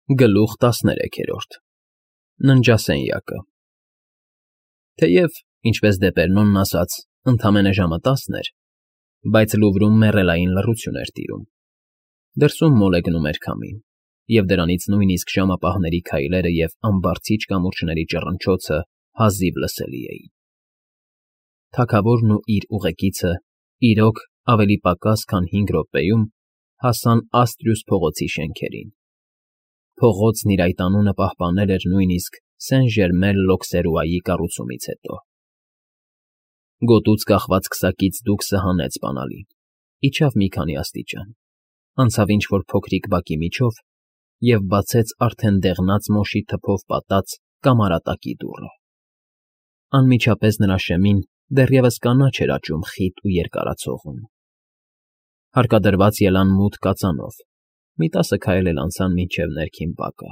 Գլուխ 13 Ննջասենյակը Թեև, ինչպես Դեպերնոնն ասաց, ընդամենը ժամը 10 էր, բայց Լուվրում մեռելային լռություն էր տիրում. դրսում մոլեգնում էր քամին, և դրանից նույնիսկ ժամապահների քայլերը և ամբարձիչ կամուրջների ճռնչոցը հազիվ լսելի էին։ Թագավորն ու իր ուղեկիցը իրոք ավելի պակաս քան 5 րոպեում հասան Աստրյուս փողոցի շենքերին։ Փողոցն իր այդ անունը պահպանել էր նույնիսկ Սեն֊Ժերմեն֊Լոքսերուայի կառուցումից հետո։ Գոտուց կախված քսակից դուքսը հանեց բանալին, իջավ մի քանի աստիճան, անցավ ինչ֊որ փոքրիկ բակի միջով և բացեց արդեն դեղնած մոշի թփով պատած կամարատակի դուռը։ Անմիջապես նրա շեմին դեռևս կանաչ էր աճում խիտ ու երկարացողուն։ Հարկադրված ելան մութ կածանով, մի 10 քայլ էլ անցան մինչև ներքին բակը,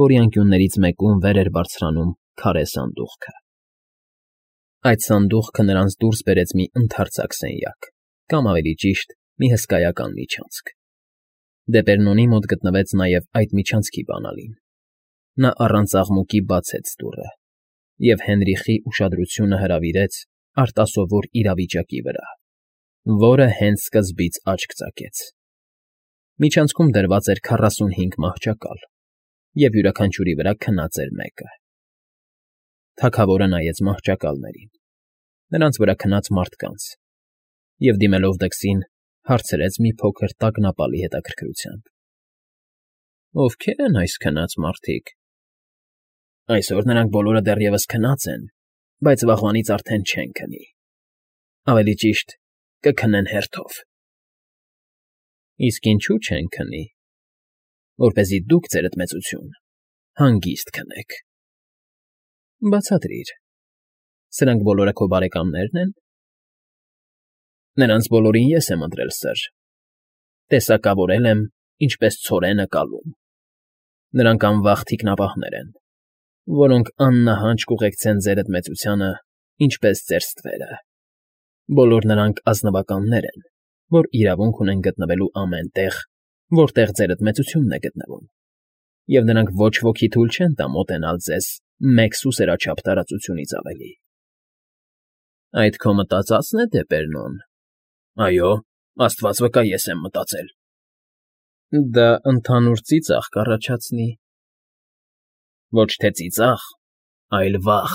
որի անկյուններից մեկում վեր էր բարձրանում քարե սանդուղքը։ Այդ սանդուղքը նրանց դուրս բերեց մի ընդարձակ սենյակ, կամ ավելի ճիշտ, մի հսկայական միջանցք։ Դեպերնոնի մոտ գտնվեց նաև այդ միջանցքի բանալին։ Նա առանց աղմուկի բացեց դուռը և Հենրիխի ուշադրությունը հրավիրեց արտասովոր իրավիճակի վրա, որը հենց սկզբից աչք ծակեց։ Միջանցքում դրված էր 45 մահճակալ, և յուրաքանչյուրի վրա քնած էր մեկը։ Թագավորը նայեց մահճակալներին, նրանց վրա քնած մարդկանց, և դիմելով դքսին, հարցրեց մի փոքր տագնապալի հետաքրքրությամբ. Ովքե՞ր են այս քնած մարդիկ։ Այսօր նրանք բոլորը դեռևս քնած են, բայց վաղվանից արդեն չեն քնի, ավելի ճիշտ, կքնեն հերթով։ Իսկ ինչու՞ չեն քնի։ Որպեսզի դուք, ձերդ մեծություն, հանգիստ քնեք։ Բացատրիր, սրանք բոլորը քո բարեկամնե՞րն են։ Նրանց բոլորին ես եմ ընտրել, սըր, տեսակավորել եմ, ինչպես ցորենը կալում։ Նրանք անվախ թիկնապահներ են, որոնք աննահանջ կուղեկցեն ձերդ մեծությանը, ինչպես ձեր ստվերը։ Բոլոր նրանք ազնվականներ են, որ իրավունք ունեն գտնվելու ամեն տեղ, որտեղ ձերդ մեծությունն է գտնվում, և նրանք ոչ ոքի թույլ չեն տա մոտենալ ձեզ մեկ սուսերաչափ տարածությունից ավելի։ Այդ քո մտածածն է, Դեպերնոն։ Այո, աստված վկա, ես եմ մտածել։ Դա ընդհանուր ծիծաղ կառաջացնի։ Ոչ թե ծիծաղ, այլ վախ։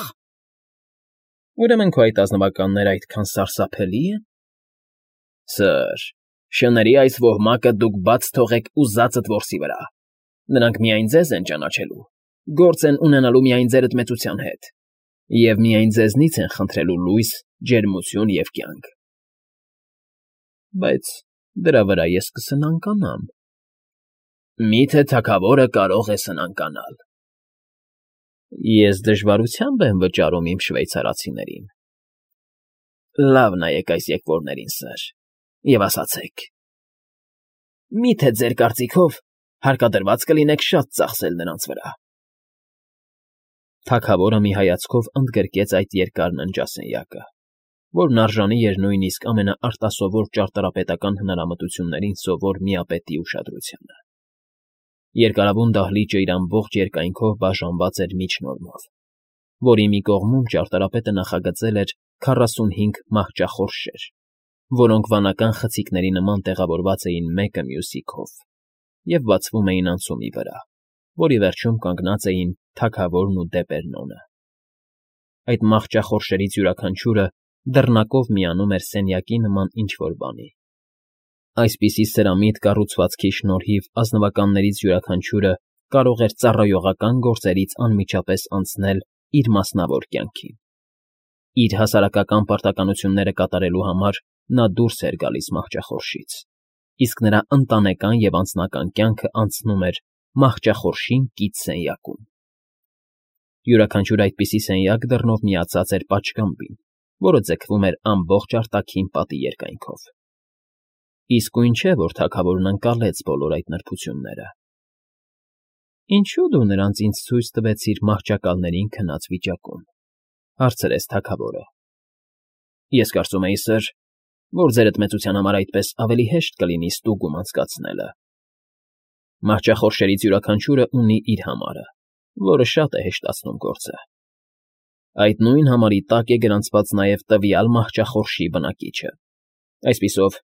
Ուրեմն քո այդ ազնվականները այդքան սարսափելի՞ են։ Սըր, շների այս ոհմակը դուք բաց թողեք ուզածդ որսի վրա։ Նրանք միայն ձեզ են ճանաչելու, գործ են ունենալու միայն ձերդ մեծության հետ, և միայն ձեզնից են խնդրելու լույս, ջերմություն և կյանք։ Բայց դրա վրա ես կսնանկանամ։ Մի՞թե թագավորը կարող է սնանկանալ։ Ես դժվարությամբ եմ վճարում իմ շվեյցարացիներին։ Լավ նայեք այս եկվորներին, սըր, և ասացեք. Մի՞թե ձեր կարծիքով հարկադրված կլինեք շատ ծախսել նրանց վրա։ Թագավորը մի հայացքով ընդգրկեց այդ երկար ննջասենյակը, որն արժանի էր նույնիսկ ամենաարտասովոր ճարտարապետական հնարամտություններին սովոր միապետի ուշադրությանը։ Երկարավուն դահլիճը իր ամբողջ երկայնքով բաժանված էր միջնորմով, որի մի կողմում ճարտարապետը նախագծել էր 45 մահճախորշեր, որոնք վանական խցիկների նման տեղավորված էին մեկը մյուսի քով և բացվում էին անցումի վրա, որի վերջում կանգնած էին թագավորն ու Դեպերնոնը։ Այդ մահճախորշերից յուրաքանչյուրը դռնակով միանում էր սենյակի նման ինչ֊որ բանի։ Այսպիսի սրամիտ կառուցվածքի շնորհիվ ազնվականներից յուրաքանչյուրը կարող էր ծառայողական գործերից անմիջապես անցնել իր մասնավոր կյանքին։ Իր հասարակական պարտականությունները կատարելու համար նա դուրս էր գալիս մահճախորշից, իսկ նրա ընտանեկան և անձնական կյանքը անցնում էր մահճախորշին կից սենյակում։ Յուրաքանչյուր այդպիսի սենյակ դռնով միացած էր պատշգամբին, որը ձգվում էր ամբողջ արտաքին պատի երկայնքով։ Իսկույն չէ, որ թագավորն ընկալեց բոլոր այդ նրբությունները։ Ինչո՞ւ դու նրանց ինձ ցույց տվեցիր մահճակալներին քնած վիճակում, հարցրեց թագավորը։ Ես կարծում էի, սըր, որ ձերդ մեծության համար այդպես ավելի հեշտ կլինի ստուգում անցկացնելը։ Մահճախորշերից յուրաքանչյուրը ունի իր համարը, որը շատ է հեշտացնում գործը։ Այդ նույն համարի տակ է գրանցված նաև տվյալ մահճախորշի բնակիչը։ Այսպիսով,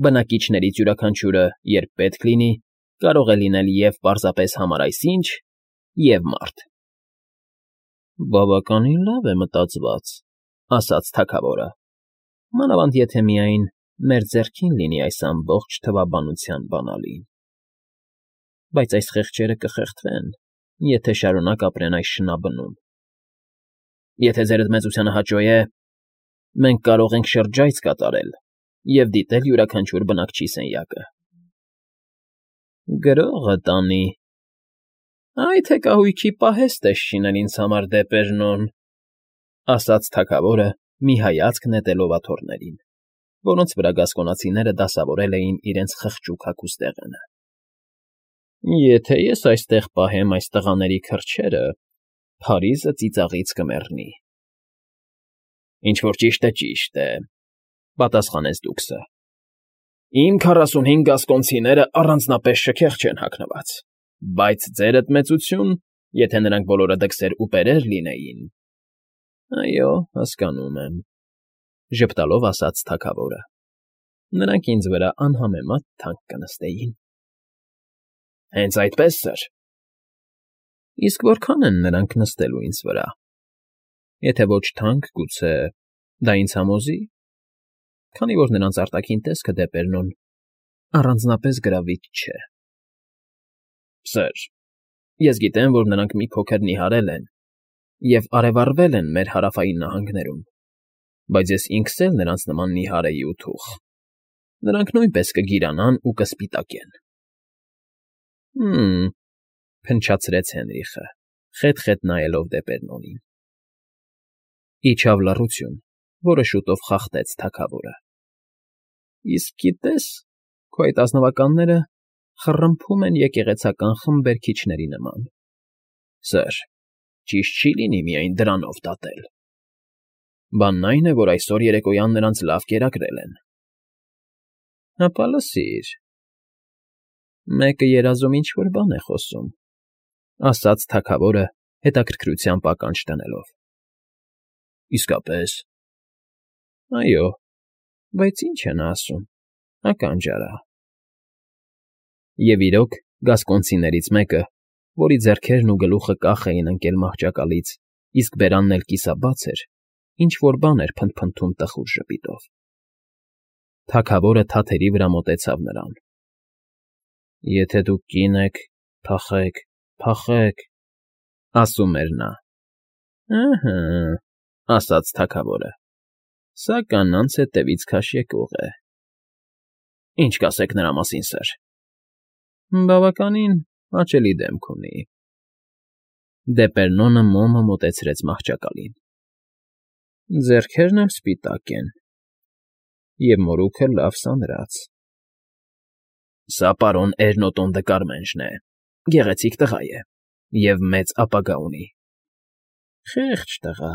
բնակիչներից յուրաքանչյուրը, երբ պետք լինի, կարող է լինել և պարզապես համարայսինչ, և մարդ։ Բավականին լավ է մտածված, ասաց թագավորը, մանավանդ եթե միայն մեր ձեռքին լինի այս ամբողջ թվաբանության բանալին։ Բայց այս խեղճերը կխեղդվեն, եթե շարունակ ապրեն այս շնաբնում։ Եթե ձերդ մեծությանը հաճո է, մենք կարող ենք շրջայց կատարել և դիտել յուրաքանչյուր բնակչի սենյակը։ Գրողը տանի։ Այդ հեկահույքի պահեստ է շինել ինձ համար դեպերնոն, ասաց թագավորը, մի հայացք նետելով աթոռներին, որոնց վրա գասկոնացիները դասավորել էին իրենց խղճուկ հագուստեղենը։ Եթե ես այստեղ պահեմ այս տղաների քրջերը, Փարիզը ծիծաղից կմեռնի։ Ինչ-որ ճիշտ է, պատասխանեց դուքսը։ Իմ 45 գասկոնցիները առանձնապես շքեղ չեն հագնված, բայց ձերդ մեծություն, եթե նրանք բոլորը դքսեր ու պերեր լինեին… Այո, հասկանում եմ, ժպտալով ասաց թագավորը։ Նրանք ինձ վրա անհամեմատ թանկ կնստեին։ Հենց այդպես, սըր։ Իսկ որքան են նրանք նստելու ինձ վրա։ Եթե ոչ թանկ, գուցե դա ինձ համոզի, քանի որ նրանց արտաքին տեսքը դեպերնոն առանձնապես գրավիչ չէ։ Սըր, ես գիտեմ, որ նրանք մի փոքր նիհարել են և արևառվել են մեր հարավային նահանգներում, բայց ես ինքս էլ նրանց նման նիհար էի ու թուխ։ Նրանք նույնպես կգիրանան ու կսպիտակեն։ Փնչացրեց Հենրիխը, խետ֊խետ նայելով դեպերնոնին։ Իջավ լռություն, որը շուտով խախտեց թագավորը։ Իսկ գիտես, քո այդ ազնվականները խռմփում են եկեղեցական խմբերքիչների նման։ Սըր, ճիշտ չի լինի միայն դրանով դատել։ Բանն այն է, որ այսօր երեկոյան նրանց լավ կերակրել են։ Հապա լսիր… Մեկը երազում ինչ֊որ բան է խոսում, ասաց թագավորը, հետաքրքրությամբ ականջ դնելով։ Իսկապես… Այո, բայց ինչ է նա ասում, ականջ արա։ Եվ իրոք, գասկոնցիներից մեկը, որի ձեռքերն ու գլուխը կախ էին ընկել մահճակալից, իսկ բերանն էլ կիսաբաց էր, ինչ֊որ բան էր փնթփնթում տխուր ժպիտով։ Թագավորը թաթերի վրա մոտեցավ նրան։ Եթե դուք կին եք, փախեք, փախեք, ասում էր նա։ Ըհը, ասաց թագավորը, սա կանանց հետևից քաշ եկող է։ Ինչ կասեք նրա մասին, սըր։ Բավականին հաճելի դեմք ունի։ Դեպերնոնը մոմը մոտեցրեց մահճակալին։ Ձեռքերն էլ սպիտակ են, և մորուքը լավ սանրած։ Սա պարոն Էրնոտոն դը Կարմենժն է, գեղեցիկ տղա է և մեծ ապագա ունի։ Խեղճ տղա,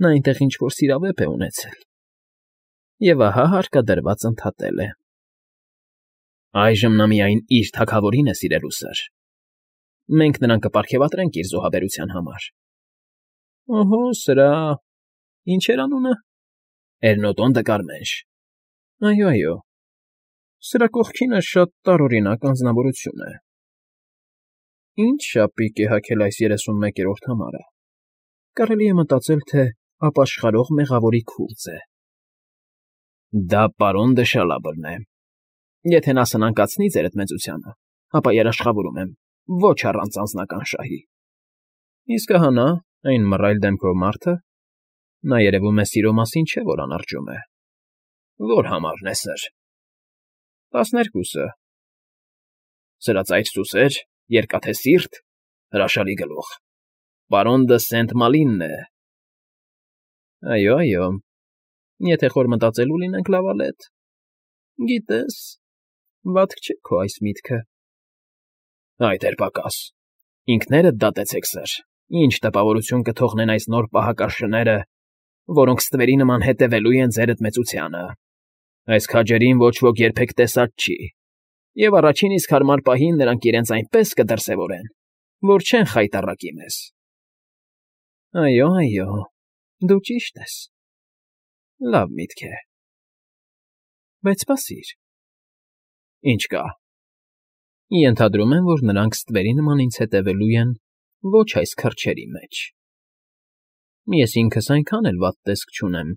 նա այնտեղ ինչ֊որ սիրավեպ է ունեցել, և ահա հարկադրված ընդհատել է։ Այժմ նա միայն իր թագավորին է սիրելու, սըր։ Մենք նրան կպարգևատրենք իր զոհաբերության համար։ Օհո, սրա… Ինչ էր անունը։ Էրնոտոն դը Կարմենժ։ Այո, այո, սրա կողքինը շատ տարօրինակ անձնավորություն է։ Ինչ շապիկ է հագել այս 31-րդ համարը։ Կարելի է մտածել, թե ապաշխարող մեղավորի քուրձ է։ Դա պարոն դը Շալաբրն է։ Եթե նա սնանկացնի ձերդ մեծությանը, ապա երաշխավորում եմ, ոչ առանց անձնական շահի։ Իսկ ահա նա, այն մռայլ դեմքով մարդը, նա երևում է սիրո մասին չէ, որ անարջում է։ Ո՞ր համարն է, սըր։ 12-ը։ Սրածայր֊սուսեր, երկաթե սիրտ, հրաշալի գլուխ։ Պարոն դը Սենտ֊Մալինն է։ Այո, այո, եթե խոր մտածելու լինենք, լավալետ։ Գիտես, վատք չէ քո այս միտքը։ Այդ էր պակաս։ Ինքներդ դատեցեք, սըր, ինչ տպավորություն կթողնեն այս նոր պահակաշները, որոնք ստվերի նման հետևելու են ձերդ մեծությանը։ Այս քաջերին ոչ ոք երբեք տեսած չի։ Եվ առաջին իսկ հարմար պահին նրանք իրենց այնպես կդրսևորեն, որ չեն խայտառակի մեզ։ ֊ Այո, դու ճիշտ ես, լավ միտք է, բայց սպասիր… Ինչ կա։ Ենթադրում եմ, որ նրանք ստվերի նման ինձ հետևելու են ոչ այս քրջերի մեջ… Ես ինքս այնքան էլ վատ տեսք չունեմ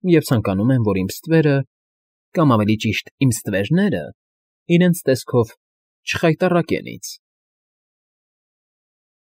և ցանկանում եմ, որ իմ ստվերը, կամ ավելի ճիշտ, իմ ստվերները իրենց տեսքով չխայտառակեն ինձ։